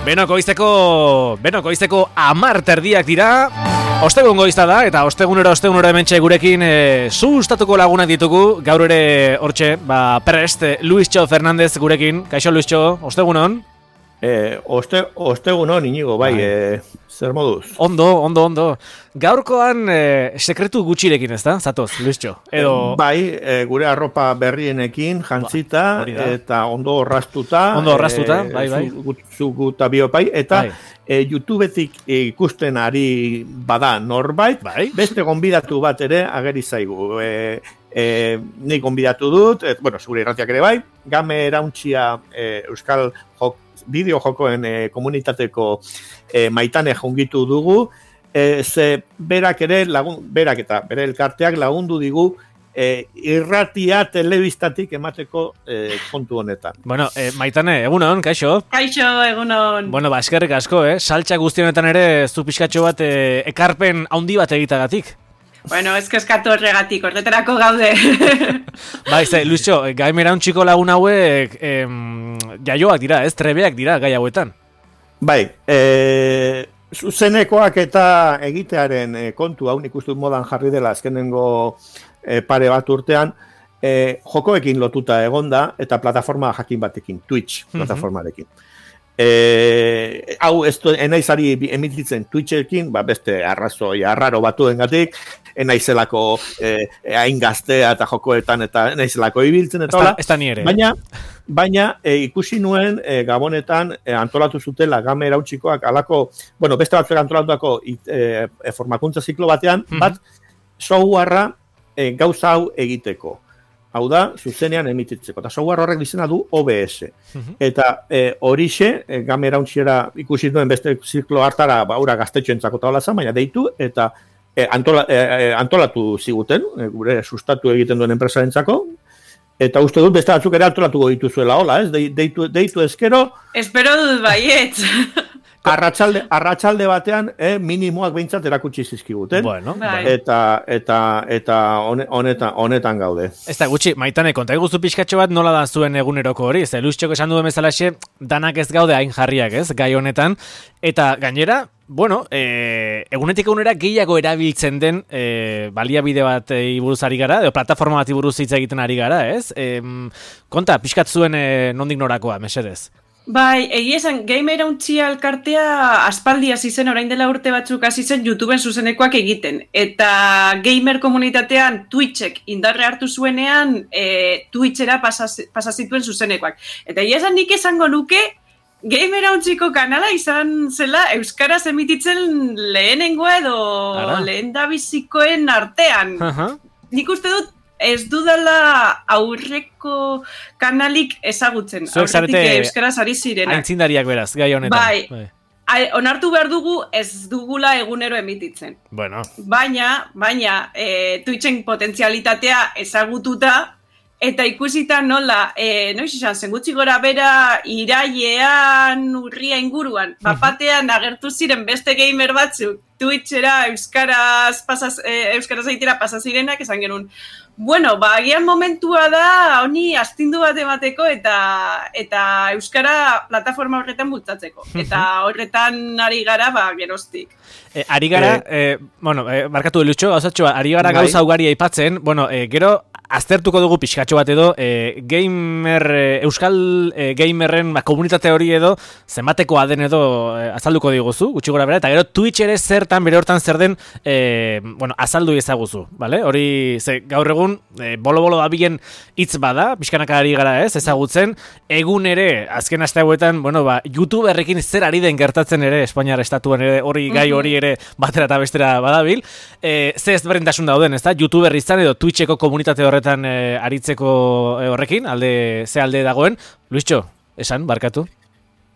Benoko goizeko 10:00 dira. Ostegun goizta da, eta ostegunero hementxe gurekin sustatuko lagunak ditugu. Gaur ere hortxe, prest, Luistxo Fernandez gurekin. Kaixo Luistxo, ostegunon? Ostegunon, Inigo, bai. Zer moduz? Ondo. Gaurkoan sekretu gutxirekin, ez da? Zatoz, Luistxo. Edo... Bai, gure arropa berrienekin, jantzita, eta ondo orrastuta. Bai. Zuguta biopai, eta YouTubetik ikusten ari bada norbait, beste gonbidatu bat ere ageri zaigu. Nik gonbidatu dut, zure irratiak ere bai, Game Erauntxia Euskal bideo-jokoen komunitateko Maitane jungitu dugu, ze berak eta bere elkarteak lagundu digu irratia telebistatik emateko kontu honetan. Maitane, egunon, kaixo? Kaixo, egunon. Eskerrik asko, saltxa guzti honetan ere zu pixkatxo bat ekarpen handi bat egitagatik. Eskatu horregatik, horretarako gaude. Luistxo, Game Erauntxiko lagun hauek jaioak dira, trebeak dira gai hauetan. Zuzenekoak eta egitearen kontu hau nik uste modan jarri dela azkenengo pare bat urtean, jokoekin lotuta egonda eta plataforma jakin batekin, Twitch plataformarekin. Hau enaizari emititzen Twitchekin, beste arrazoi arraro batuengatik, enaizelako hain gaztea eta jokoetan eta enaizelako ibiltzen eta hola. Ez da ni ere. Baina ikusi nuen Gabonetan antolatu zutela Game Erauntxikoak alako, beste batzuek antolatutako formakuntza ziklo batean, bat softwarea gauza hau egiteko. Hau da, zuzenean emititzeko. Eta software horrek izena du OBS. Eta horixe, Game Erauntxiera ikusi duen beste ziklo hartara, ura gaztetxoentzako eta hola zan, baina deitu, eta antolatu ziguten, gure sustatu egiten duen enpresarentzako, eta uste dut beste batzuk ere antolatuko dituzuela, hola, ez? Deitu ezkero... Espero dut baiet. Arratsalde batean minimoak behintzat erakutsi zizkiguten. Eta honetan gaude. Ez da gutxi, Maitane, konta eguzu pixkatxo bat nola da zuen eguneroko hori? Ez da, Luistxoko esan duen bezalaxe, danak ez gaude hain jarriak, ez, gai honetan. Eta gainera, egunetik egunera gehiago erabiltzen den baliabide bat buruz ari gara, edo plataforma bat buruz hitz egiten ari gara, ez? Konta, pixkat zuen nondik norakoa, mesedez? Egia esan, Game Erauntxia elkartea aspaldi hasi zen, orain dela urte batzuk hasi zen YouTubeen zuzenekoak egiten. Eta gamer komunitatean Twitchek indarre hartu zuenean, Twitchera pasazituen zuzenekoak. Eta egia esan nik esango nuke, Game Erauntxiko kanala izan zela euskaraz emititzen lehenengoa edo lehendabizikoen artean. Nik uste dut, ez dudala aurreko kanalik ezagutzen. Zuek euskaraz ari zirenak. Aintzindariak beraz, gai honetan. Onartu behar dugu ez dugula egunero emititzen. Baina Twitchen potentzialitatea ezagututa, eta ikusita nola, noiz izan, zen gutxi gora bera irailean urria inguruan, bapatean agertu ziren beste gamer batzuk, Twitchera euskaraz aitera pasazirenak, esan genuen. Agian momentua da, honi astindu bat emateko eta euskara plataforma horretan bultzatzeko. Eta horretan ari gara, geroztik. Ari gara, markatu Luistxo, gauzatxoa, ari gara gauza ugari aipatzen, gero, aztertuko dugu pixkatxo bat edo, euskal gamerren komunitate hori edo, zenbatekoa den edo azalduko diguzu, gutxi gora bera, eta gero Twitch ere zertan, bere hortan zer den, azaldu ezaguzu, bale? Hori, gaur egun, bolo-bolo dabilen hitz bada, pixkanaka ari gara ez, ezagutzen, egun ere, azken aste hauetan, YouTuberrekin zer ari den gertatzen ere, Espainiar estatuan ere, gai hori ere batera eta bestera badabil, ze ez berdintasun dauden, ez da, YouTuber izan edo Twitcheko komunitate horretan aritzeko horrekin, ze alde dagoen, Luistxo, esan, barkatu?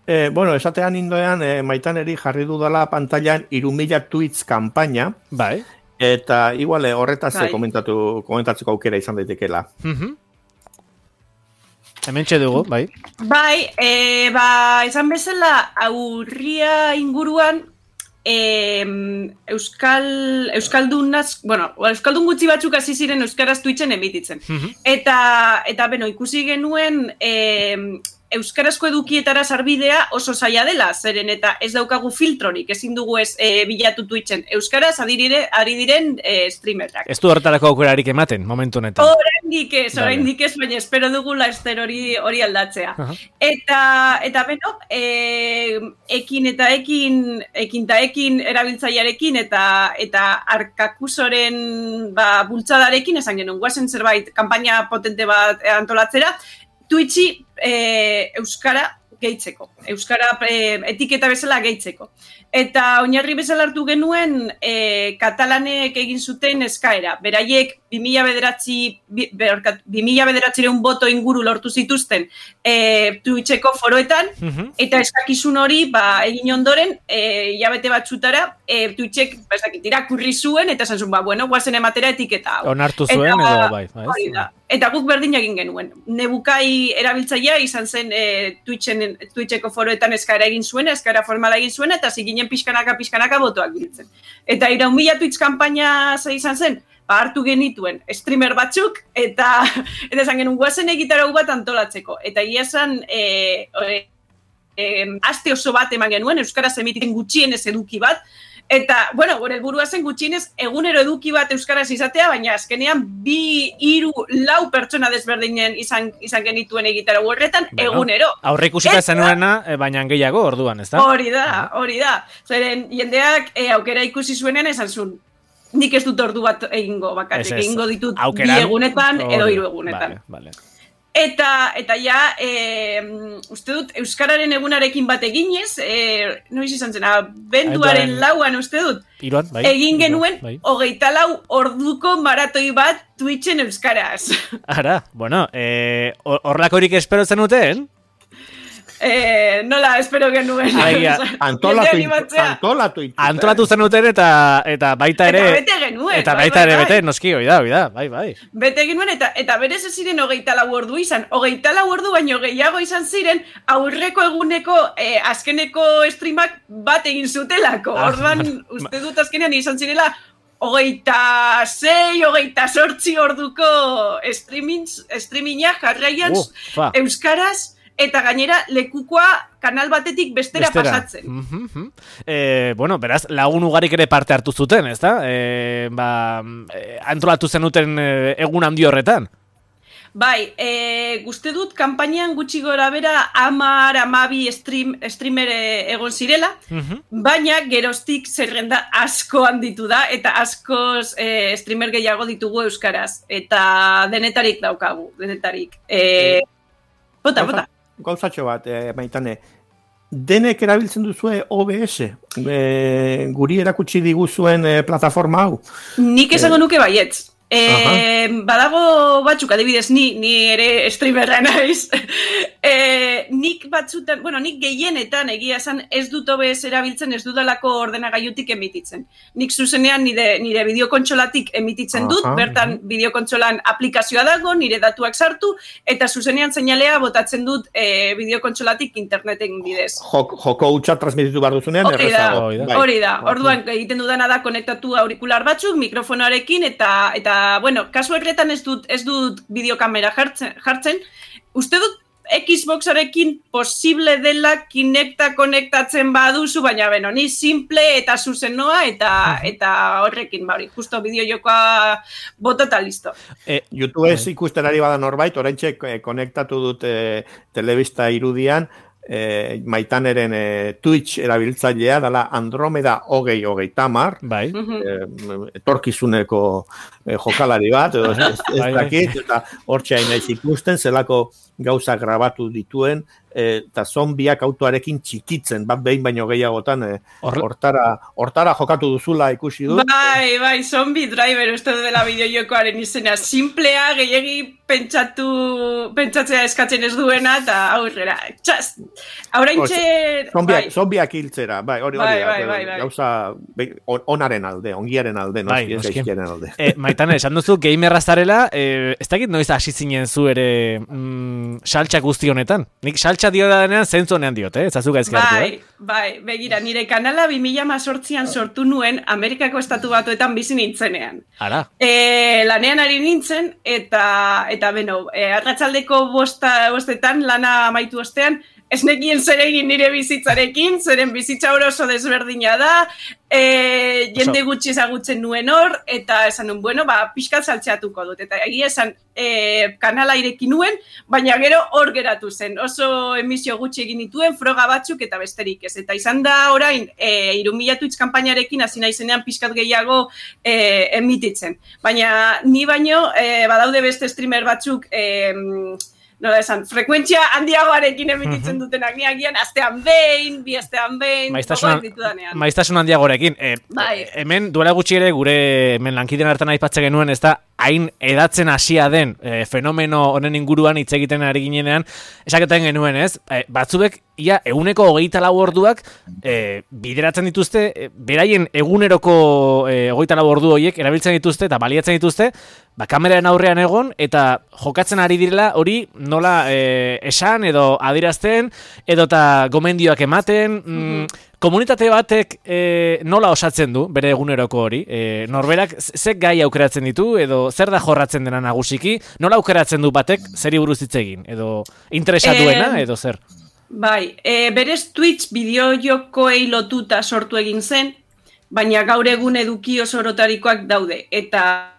Esatean indoean, Maitaneri jarri dudala pantailan 3.000 tweets kampaina, eta igual horretaz komentatzeko aukera izan daitekela. Hementxe dugu, bai. Izan bezala aurria inguruan euskaldun gutxi batzuk hasi ziren euskaraz Twitchen emititzen. Eta ikusi genuen euskarazko edukietara sarbidea oso zaila dela, zeren eta ez daukagu filtrorik, ezin dugu ez bilatu Twitchen. Euskaraz ari diren streamerrak. Ez du horretarako aukerarik ematen, momentu honetan. Oraindik ez, baina espero dugu laster hori aldatzea. Eta beno, ekin erabiltzailearekin eta Arkakusoren bultzadarekin, esan genuen, guazen zerbait, kanpaina potente bat antolatzera, Twitchi euskara gehitzeko. Euskara etiketa bezala gehitzeko. Eta oinarri bezala hartu genuen katalanek egin zuten eskaera. Beraiek 2009 boto inguru lortu zituzten Twitcheko foroetan, eta eskakizun hori egin ondoren, hilabete batzutara, Twitchek irakurri zuen, eta esan zuen, bueno, guazen ematera etiketa hau. Onartu zuen edo bai. Eta guk berdin egin genuen. Nebukai erabiltzailea izan zen Twitcheko foroetan eskaera egin zuen, eskaera formala egin zuen, eta ziginen pixkanaka botoak biltzen. Eta 3.000 Twitch kanpaina izan zen, hartu genituen streamer batzuk, eta esan genuen guazen egitarau bat antolatzeko. Eta esan aste oso bat eman genuen, euskaraz emititzen gutxienez eduki bat, eta, bueno, gure helburua zen gutxienez egunero eduki bat euskaraz izatea, baina azkenean 2, 3, 4 pertsona desberdinen izan genituen egitarau horretan, egunero. Aurre ikusita zenuena, baina gehiago orduan, ez da? Hori da. Zeren, jendeak aukera ikusi zuenean esan zuen, nik ez dut ordu bat egingo bakarrik, egingo ditut 2 egunetan edo 3 egunetan. Vale. Eta uste dut, Euskararen egunarekin bat eginez, noiz izan zena, benduaren lauan uste dut, egin genuen 24 orduko maratoi bat Twitchen euskaraz. Ara, bueno, horlakorik espero zenuten? Nola, espero genuen. Antolatu zenuten eta baita ere... Eta bete genuen. Eta baita ere bete, noski, oida, bai. Bete genuen, eta berez ez ziren 24 ordu izan. 24 ordu baino gehiago izan ziren, aurreko eguneko azkeneko streamak bat egin zutelako. Orduan, uste dut azkenean izan zirela 26, 28 orduko streaminga jarraian euskaraz, eta gainera lekukoa kanal batetik bestera pasatzen. Bueno, beraz, lagun ugarik ere parte hartu zuten, ez da? Antolatu zenuten egun handi horretan. Bai, guzti dut, kanpainan gutxi gora bera 10-12 streamer egon zirela, baina geroztik zerrenda asko handitu da, eta askoz streamer gehiago ditugu euskaraz, eta denetarik daukagu, denetarik. Bota. Gauzatxo bat, Maitane, denek erabiltzen duzue OBS, guri erakutsi diguzuen plataforma hau? Nik esango nuke baietz. Badago batzuk, adibidez, ni ere streamerra naiz. Nik batzutan, nik gehienetan egia esan ez dut OBS erabiltzen, ez dudalako ordenagailutik emititzen. Nik zuzenean nire bideokontsolatik emititzen dut, bertan bideokontsolan aplikazioa dago, nire datuak sartu, eta zuzenean seinalea botatzen dut bideokontsolatik interneten bidez. Joko hutsa transmititu behar duzunean, errezago. Hori da, orduan egiten dudana da konektatu aurikular batzuk, mikrofonoarekin, eta bueno, kasu horretan ez dut bideokamera jartzen. Uste dut Xboxarekin posible dela Kinecta konektatzen baduzu, baina beno, ni simple eta zuzen noa eta horrekin, justo bideojokoa bota eta listo. YouTube ez ikustenari bada norbait, oraintxe konektatu dut telebista irudian, Maitaneren Twitch erabiltzailea dela Andromeda 2030, bai. Etorkizuneko jokalari bat, ez dakit, eta hortxe hain naiz ikusten, zelako gauza grabatu dituen, eta zombiak autoarekin txikitzen, bat behin baino gehiagotan, hortara jokatu duzula ikusi dut. Bai, zombie driver uste dela bideojokoaren izena, simplea, gehiagi pentsatzea eskatzen ez duena, eta aurrera, txaz! Zombiak hiltzera, hori, gauza onaren alde, ongiaren alde, ez gaizkiaren alde. Maitane, esan duzu gamerra zarela, ez dakit noiz hasi zinen zu ere saltsa guzti honetan. Nik saltsa dio da denean zentzu honean diot, ez azuka ezkertu, Bai, begira, nire kanala 2018an sortu nuen Amerikako Estatu Batuetan bizi nintzenean. Ara. Lanean ari nintzen, eta beno, arratsaldeko bostetan lana amaitu ostean, ez nekien zer egin nire bizitzarekin, zeren bizitza oso desberdina da, jende gutxi ezagutzen nuen hor, eta esan nuen, bueno, pixkat saltzeatuko dut, eta egia esan kanala ireki nuen, baina gero hor geratu zen, oso emisio gutxi egin dituen, froga batzuk eta besterik ez, eta izan da orain, 3.000 Twitch kanpainarekin hasi naizenean pixkat gehiago emititzen, baina ni baino, badaude beste streamer batzuk, nola esan, frekuentzia handiagoarekin emititzen dutenak niagian, astean behin, bi astean behin, gogoak ditudanean. Maiztasun handiagoarekin. Hemen duela gutxi ere gure hemen lankideen hartan aipatzen genuen, ez da, hain edatzen hasia den fenomeno honen inguruan hitz egiten ari ginenean, esaketan genuen, ez? Batzuek, ia, 124 orduak bideratzen dituzte, beraien eguneroko 24 ordu horiek erabiltzen dituzte eta baliatzen dituzte, kameraren aurrean egon eta jokatzen ari direla hori nola esan edo adirazten edo eta gomendioak ematen, komunitate batek nola osatzen du bere eguneroko hori, norberak ze gai aukeratzen ditu edo zer da jorratzen dena nagusiki, nola aukeratzen du batek zeri buruz hitz egin edo interesatuena edo zer? Bai, berez Twitch bideojokoei lotuta sortu egin zen, baina gaur egun eduki oso orotarikoak daude, eta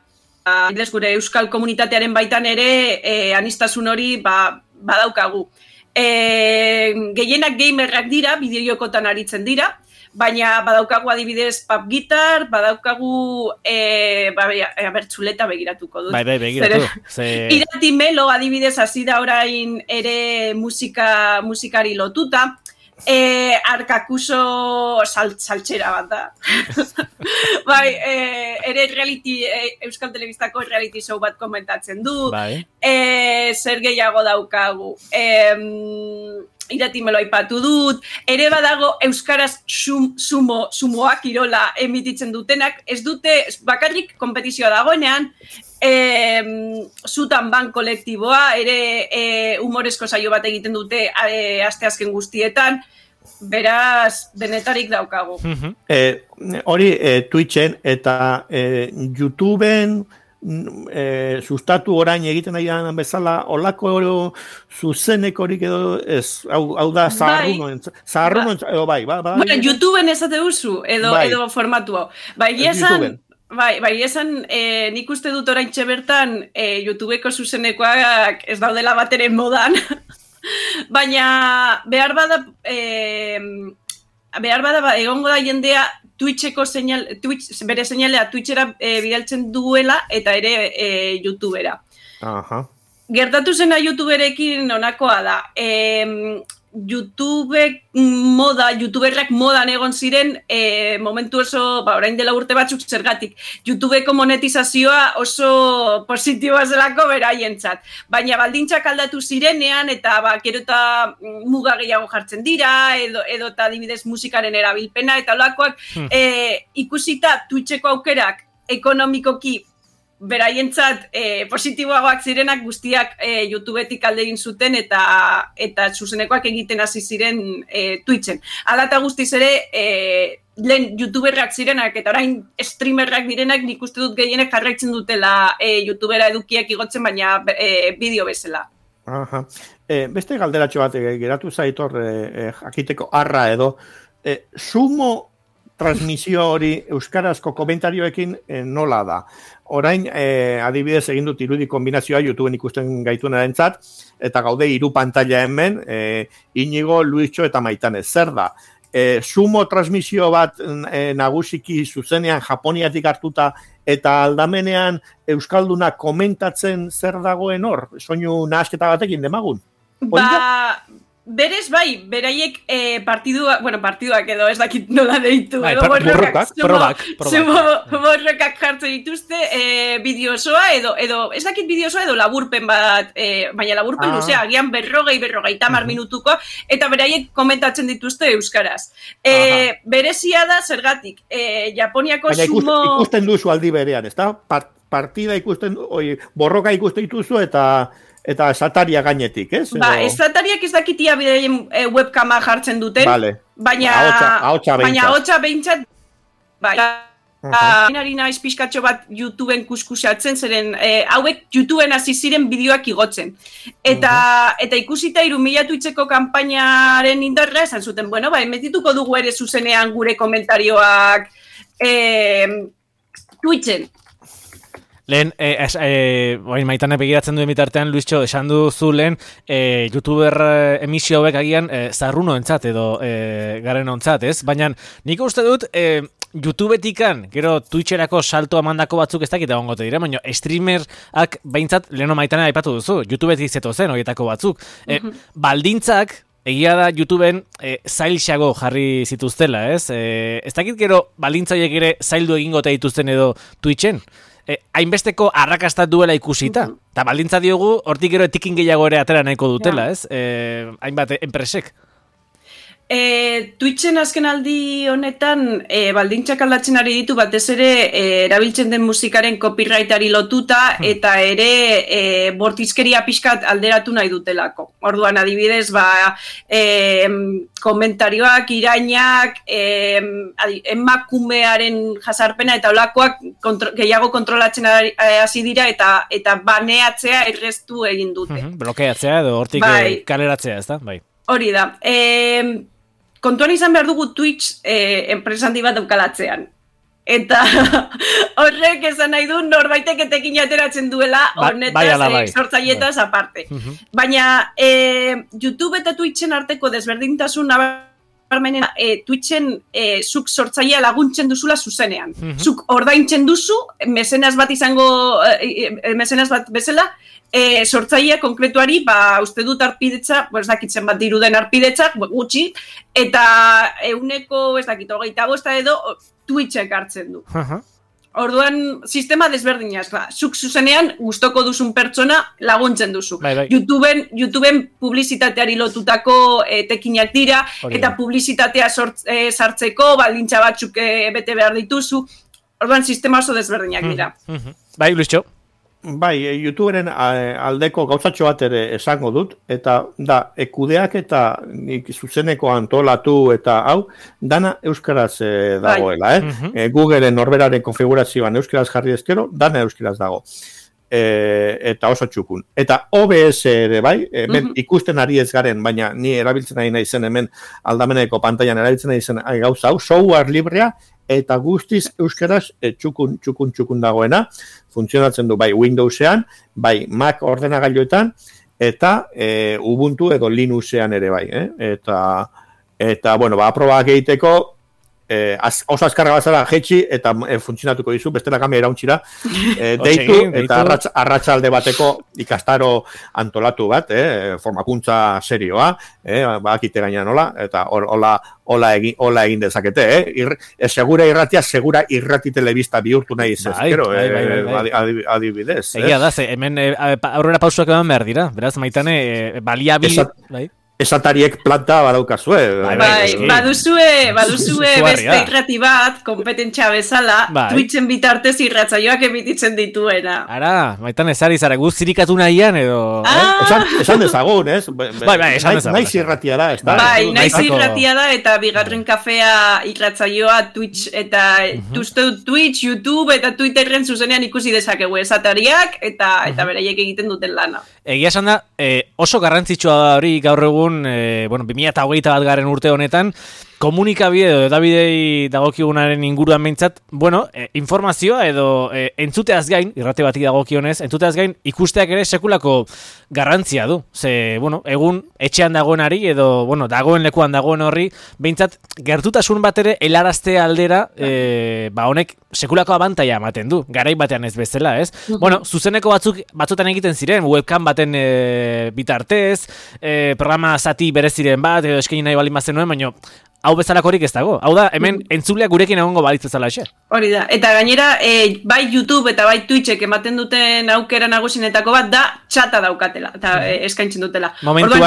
gure euskal komunitatearen baitan ere anistasun hori badaukagu. Gehienak gamerrak dira, bideojokotan aritzen dira, baina badaukagu adibidez pub gitar, badaukagu abertzuleta begiratuko dut. Bai, begiratu. Irati Melo adibidez hasi da orain ere musikari lotuta, Arkakuso saltxera bat da. Bai, ere Euskal Telebistako reality show bat komentatzen du. Bai. Zer gehiago daukagu. Irati Melo aipatu dut. Ere badago euskaraz sumoak kirola emititzen dutenak. Ez dute bakarrik konpetizioa dagoenean. Zutan ban kolektiboa, ere humorezko saio bat egiten dute asteazken guztietan, beraz, denetarik daukagu. Hori Twitchen eta YouTubeen sustatu orain egiten nahian bezala, olako zuzenekorik edo ez, hau da zaharrunon, edo bai. Bueno, YouTubeen ezate duzu, edo formatu hau. Bai, esan nik uste dut oraintxe bertan YouTubeko zuzenekoak ez daudela bateren modan, baina behar bada egongo da jendea bere seinalea Twitchera bidaltzen duela eta ere YouTubera. Gertatu zena YouTuberekin onakoa da. YouTuberrak modan egon ziren momentu oso, orain dela urte batzuk zergatik. YouTubeko monetizazioa oso positiboa zelako beraientzat. Baina baldintzak aldatu zirenean eta gero eta muga gehiago jartzen dira, edo eta adibidez musikaren erabilpena eta olakoak ikusita Twitcheko aukerak ekonomikoki beraientzat positiboagoak zirenak guztiak YouTubetik alde egin zuten eta zuzenekoak egiten hasi ziren Twitchen. Hala eta guztiz ere, lehen YouTuberrak zirenak eta orain streamerrak direnak nik uste dut gehienek jarraitzen dutela YouTubera edukiak igotzen, baina bideo bezala. Beste galderatxo bat geratu zaitor jakiteko arra edo, sumo transmisio hori euskarazko komentarioekin nola da. Orain, adibidez egin dut irudi kombinazioa YouTubeen ikusten gaituen erantzat, eta gaude 3 pantalla hemen, Inigo, Luischo eta Maitane. Zer da? Sumo transmisio bat nagusiki zuzenean Japoniatik hartuta eta aldamenean euskalduna komentatzen zer dagoen hor? Soinu nahasketa batekin demagun? Berez bai, beraiek partiduak edo ez dakit nola deitu. Borrokak jartzen dituzte bideo osoa edo ez dakit bideo osoa edo laburpen bat, baina laburpen luzea, agian 40 minutuko, eta beraiek komentatzen dituzte euskaraz. Berezia da zergatik, Japoniako sumo... Baina ikusten duzu aldi berean, ez da? partida ikusten, borroka ikusten dituzu eta esataria gainetik, ez? Esatariak ez dakitia bideien webkama jartzen duten, baina hotxa behintzat, Nari naiz pixkatxo bat YouTubeen kuskusatzen, zeren hauek YouTubeen hasi ziren bideoak igotzen. Eta ikusita 3.000 Twitcheko kanpainaren indarra esan zuten, bueno, emetituko dugu ere zuzenean gure komentarioak Twitchen. Lehen, maitane begiratzen duen bitartean, Luistxo, esan duzu lehen, YouTuber emisio hauek agian zarruno entzat edo garen ontzat, ez? Baina nik uste dut, YouTubetikan, gero Twitcherako salto amandako batzuk ez dakit egongo te dire, baina streamerak behintzat leheno maitane aipatu duzu, YouTubetik zeto zen horietako batzuk. Baldintzak, egia da YouTubeen zailxago jarri zituztela, ez? Ez dakit gero baldintzaiek ere zaildu egingo te dituzten edo Twitchen? Hainbesteko arrakastat duela ikusita. Eta baldintza diogu, hortik gero etikin gehiago ere atera nahiko dutela, ez? Hainbat enpresek. Twitchen azken aldi honetan baldintzak aldatzen ari ditu batez ere erabiltzen den musikaren copyrightari lotuta eta ere bortizkeria pixkat alderatu nahi dutelako. Orduan adibidez, komentarioak, irainak, emakumearen jasarpena eta olakoak gehiago kontrolatzen hasi dira eta baneatzea erreztu egin dute. Blokeatzea edo hortik kaleratzea, ez da? Bai. Hori da. Kontuan izan behar dugu Twitch enpresa handi bat daukalatzean. Eta horrek esan nahi du norbaitek etekin ateratzen duela honetaz, sortzaietaz aparte. Baina YouTube eta Twitchen arteko desberdintasun nabarmenena Twitchen zuk sortzailea laguntzen duzula zuzenean. Zuk ordaintzen duzu, mesenas bat bezala, sortzailea konkretuari, uste dut arpidetza, ez dakitzen bat diruden arpidetzak, gutxi, eta 125 edo Twitchek hartzen du. Orduan, sistema desberdinaz, zuk zuzenean gustoko duzun pertsona laguntzen duzu. YouTubeen publizitateari lotutako tekinak dira, eta publizitatea sartzeko, baldintza batzuk bete behar dituzu. Orduan, sistema oso desberdinak dira. Bai, Luistxo. Bai, YouTuberen aldeko gauzatxo bat ere esango dut, eta da, kudeak eta zuzeneko antolatu eta hau, dana euskaraz dagoela, Googleen norberaren konfigurazioan euskaraz jarri ezkero, dana euskaraz dago. Eta oso txukun. Eta OBS ere bai, ikusten ari ez garen, baina ni erabiltzen ari naizen hemen aldameneko pantailan erabiltzen ari zen gauza hau, software librea, eta guztiz euskaraz txukun dagoena, funtzionatzen du bai Windowsean, bai Mac ordenagailuetan, eta Ubuntu edo Linuxean ere bai. Eta bueno, aprobak egiteko, oso azkarra bazara jetxi eta funtzionatuko dizu, bestela kamera irauntxira, deitu eta arratsalde bateko ikastaro antolatu bat, formakuntza serioa, bakite gaina nola, eta hola egin dezakete, segura irratia, segura irrati telebista bihurtu nahi zezkero, adibidez. Egia da, hemen aurrera pausuak eman behar dira, beraz, maitane, baliabil... Esatariek planta badaukazue. Baduzue beste irrati bat, kompetentsia bezala, Twitchen bitartez irratzaioak emititzen dituena. Ara, maitan ezari zara, guztirikatu nahian edo... Esan dezagun, ez? Esan dezagun. Naiz irratia da, ez da? Bai, naiz irratia da, eta bigarren kafea irratzaioa Twitch, eta Twitch, YouTube, eta Twitterren zuzenean ikusi dezakegu esatariak, eta beraiek egiten duten lana. Egia esan da, oso garrantzitsua da hori gaur egun, 2021 garen urte honetan, komunikabide edo edabidei dagokigunaren inguruan behintzat, informazioa edo entzuteaz gain, irrate bati dagokionez, entzuteaz gain ikusteak ere sekulako garrantzia du. Ze, egun etxean dagoenari edo, dagoen lekuan dagoen horri, behintzat gertutasun bat ere helarazte aldera, honek sekulako abantaia ematen du, garai batean ez bezala, ez? Zuzeneko batzutan egiten ziren, webcam baten bitartez, programa zati bereziren bat, edo eskaini nahi baldin bazen nuen, baina hau bezalakorik ez dago. Hau da, hemen entzuleak gurekin egongo balitz bezala exe. Hori da, eta gainera, bai YouTube eta bai Twitchek ematen duten aukera nagusinetako bat da, txata daukatela, eta eskaintzen dutela. Momentuan,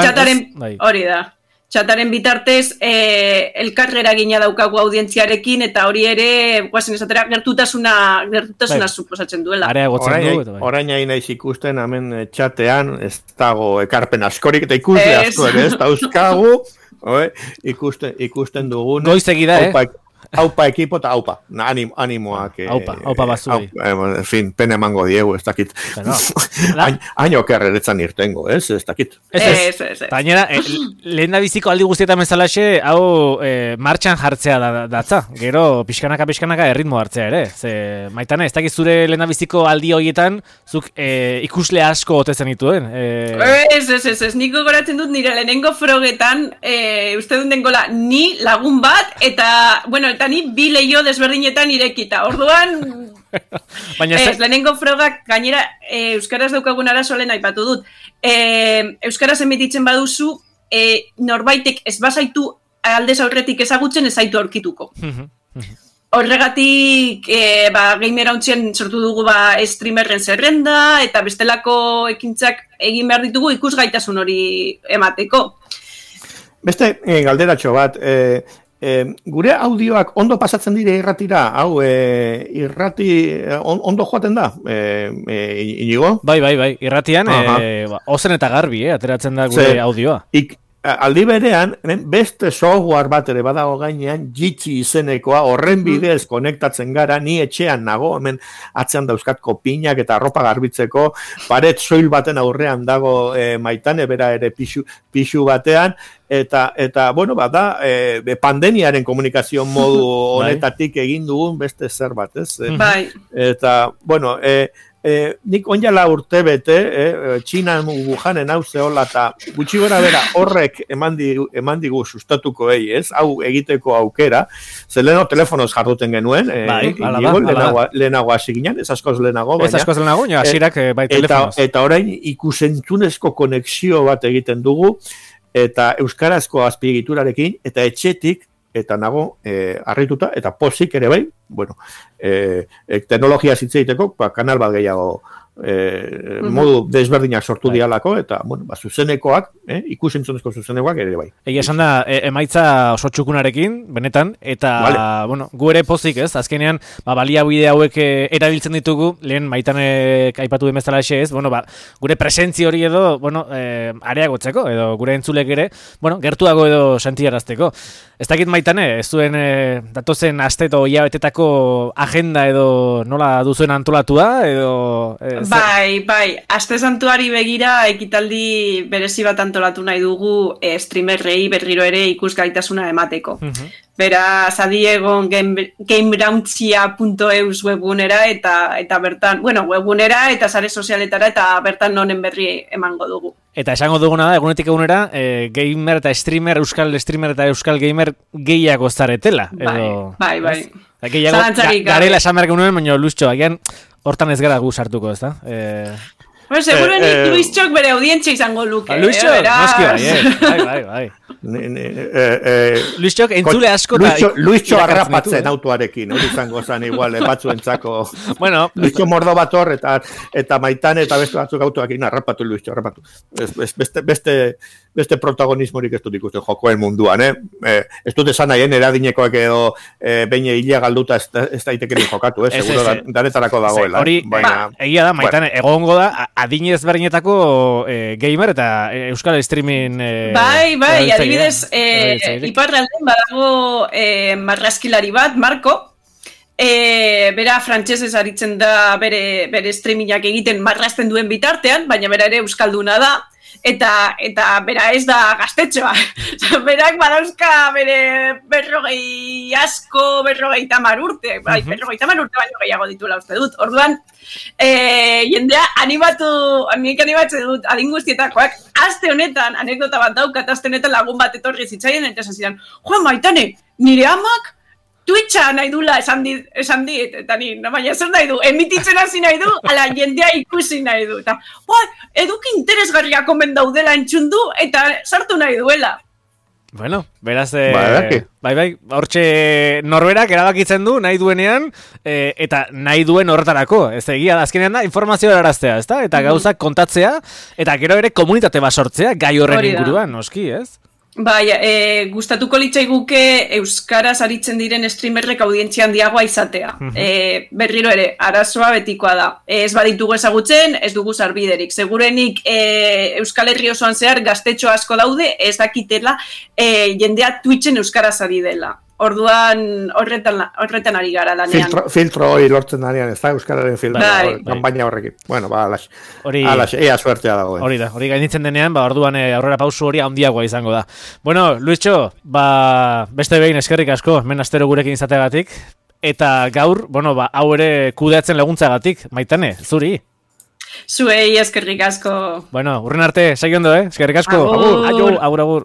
hori da. txataren bitartez elkarrera gina daukagu audientziarekin, eta hori ere, guazen esatera, gertutasuna suposatzen duela. Orain hain naiz ikusten, hemen txatean, ez dago ekarpen askorik, eta ikuste asko ere, ez dauzkagu, ikusten dugun. Goizegida, Aupa ekipo eta aupa, animoak. Aupa bazui. En fin, pena emango diegu, ez dakit. Haino kerreretzan irtengo, ez dakit. Ez. Tainera, lehen da biziko aldi guztietan bezalaxe, hau martxan jartzea datza. Gero, pixkanaka erritmo hartzea ere. Ze, Maitane, ez dakit zure lehen da biziko aldi horietan, zuk ikusle asko ote zenituen. Ez, niko goratzen dut nire lehenengo frogetan, uste dut dengola, ni lagun bat, eta, bueno, eta ni bi leio desberdinetan irekita. Orduan, lehenengo frogak gainera euskaraz daukagun arazo lehen aipatu dut. Euskaraz emititzen baduzu, norbaitek ez bazaitu aldez aurretik ezagutzen ez zaitu aurkituko. Horregatik, gamer hauntzien sortu dugu streamerren zerrenda, eta bestelako ekintzak egin behar ditugu ikusgaitasun hori emateko. Beste galderatxo bat, gure audioak ondo pasatzen dire irratira, hau irrati ondo joaten da, Inigo? Bai, irratian ozen eta garbi, ateratzen da gure audioa. Aldi berean, beste software bat ere badago gainean, Jitsi izenekoa, horren bidez konektatzen gara, ni etxean nago, hemen atzean dauzkat kopinak eta arropa garbitzeko, paret soil baten aurrean dago Maitane, bera ere pixu batean, eta bueno, bada, pandemiaren komunikazio modu honetatik egin dugun beste zer bat, ez? Bai. Eta, bueno, nik onjala urte bete, Txinan Wuhanen hau zehola, eta gutxi gora bera horrek eman digu sustatuko ez? Hau egiteko aukera, ze leheno telefonoz jarduten genuen, lehenago hasi ginen, ez askoz lehenago, baina hasirak bai telefonoz. Eta orain ikusentzunezko konexio bat egiten dugu, eta euskarazko azpiegiturarekin, eta etxetik, eta nago harrituta, eta pozik ere bai, bueno, teknologia zitzeiteko, kanal bat gehiago modu desberdinak sortu dialako, eta, bueno, zuzenekoak, ikusentzunezko zuzenekoak ere bai. Egia esan da, emaitza oso txukunarekin, benetan, eta, bueno, gu ere pozik ez, azkenean, baliabide hauek erabiltzen ditugu, lehen Maitanek aipatu den bezala ez, bueno, gure presentzi hori edo, bueno, areagotzeko, edo gure entzulek ere, bueno, gertuago edo sentiarazteko. Ez dakit Maitane, ez duen datozen aste edo hilabetetako agenda edo nola duzuen antolatua, edo... Bai, aste santuari begira ekitaldi berezi bat antolatu nahi dugu streamerrei berriro ere ikusgaitasuna emateko. Beraz, adiegon gamebrauntzia.eus webgunera eta bertan, bueno, webgunera eta sare sozialetara eta bertan nonen berri emango dugu. Eta esango duguna da, egunetik egunera, gamer eta streamer, euskal streamer eta euskal gamer gehiago zaretela. Bai. Gehiago, garela esan behar genuen, baina Luiztxo, agian hortan ez gara gu sartuko, ez da? Seguro Luiztxok bere audientzia izango luke. Luiztxo, noski bai. Luiztxok entzule asko Luiztxo arrapatzen autoarekin, hori izango zen igual batzuentzako. Bueno, Luiztxo mordo bat hor eta Maitane eta beste batzuk autoarekin arrapatu Luiztxo, arrapatu. Beste protagonismorik ez dut ikusten jokoen munduan, ez dut esan nahien eradinekoak edo behin hila galduta ez daitekerin jokatu, seguro danetarako dagoela. Hori, egia da, Maitane, egongo da, adinez berdinetako gamer eta euskal streaming... Bai, adibidez, iparralden badago marrazkilari bat, Marko, bera frantsesez aritzen da bere streamingak egiten marrazten duen bitartean, baina bera ere euskalduna da, eta bera ez da gaztetxoa. Berak badauzka bere 40 urte, bai, 50 urte baino gehiago dituela uste dut. Orduan, jendea animatzen dut adin guztietakoak, aste honetan, anekdota bat daukat, aste honetan lagun bat etorri zitzaien, eta esan zidan, Maitane, nire amak Twitcha nahi dula esan dit, eta ni, baina zer nahi du, emititzen hasi nahi du, ala jendea ikusi nahi du, eta eduki interesgarriak omen daudela entzundu, eta sartu nahi duela. Bueno, beraz, bai, hortxe norberak erabakitzen du, nahi duenean, eta nahi duen horretarako, ez egia da, azkenean da, informazioa eraraztea, ezta? Eta gauzak kontatzea, eta gero ere komunitate bat sortzea, gai horren inguruan, noski, ez? Bai, gustatuko litzaiguke euskaraz aritzen diren streamerrek audientzia handiagoa izatea. Berriro ere, arazoa betikoa da. Ez baditugu ezagutzen, ez dugu sarbiderik. Segurenik Euskal Herri osoan zehar gaztetxo asko daude, ez dakitela jendea Twitchen euskaraz ari dela. Orduan horretan ari gara lanean. Filtro hori lortzen danean, ez da euskararen kanpaina horrekin. Bueno, alax, ea suertea dago. Hori gainitzen denean, orduan aurrera pausu hori handiagoa izango da. Bueno, Luischo, beste behin eskerrik asko, hemen astero gurekin izateagatik, eta gaur, hau ere kudeatzen laguntzagatik, Maitane, zuri. Zuei eskerrik asko. Bueno, urren arte, segi ondo, eskerrik asko. Agur.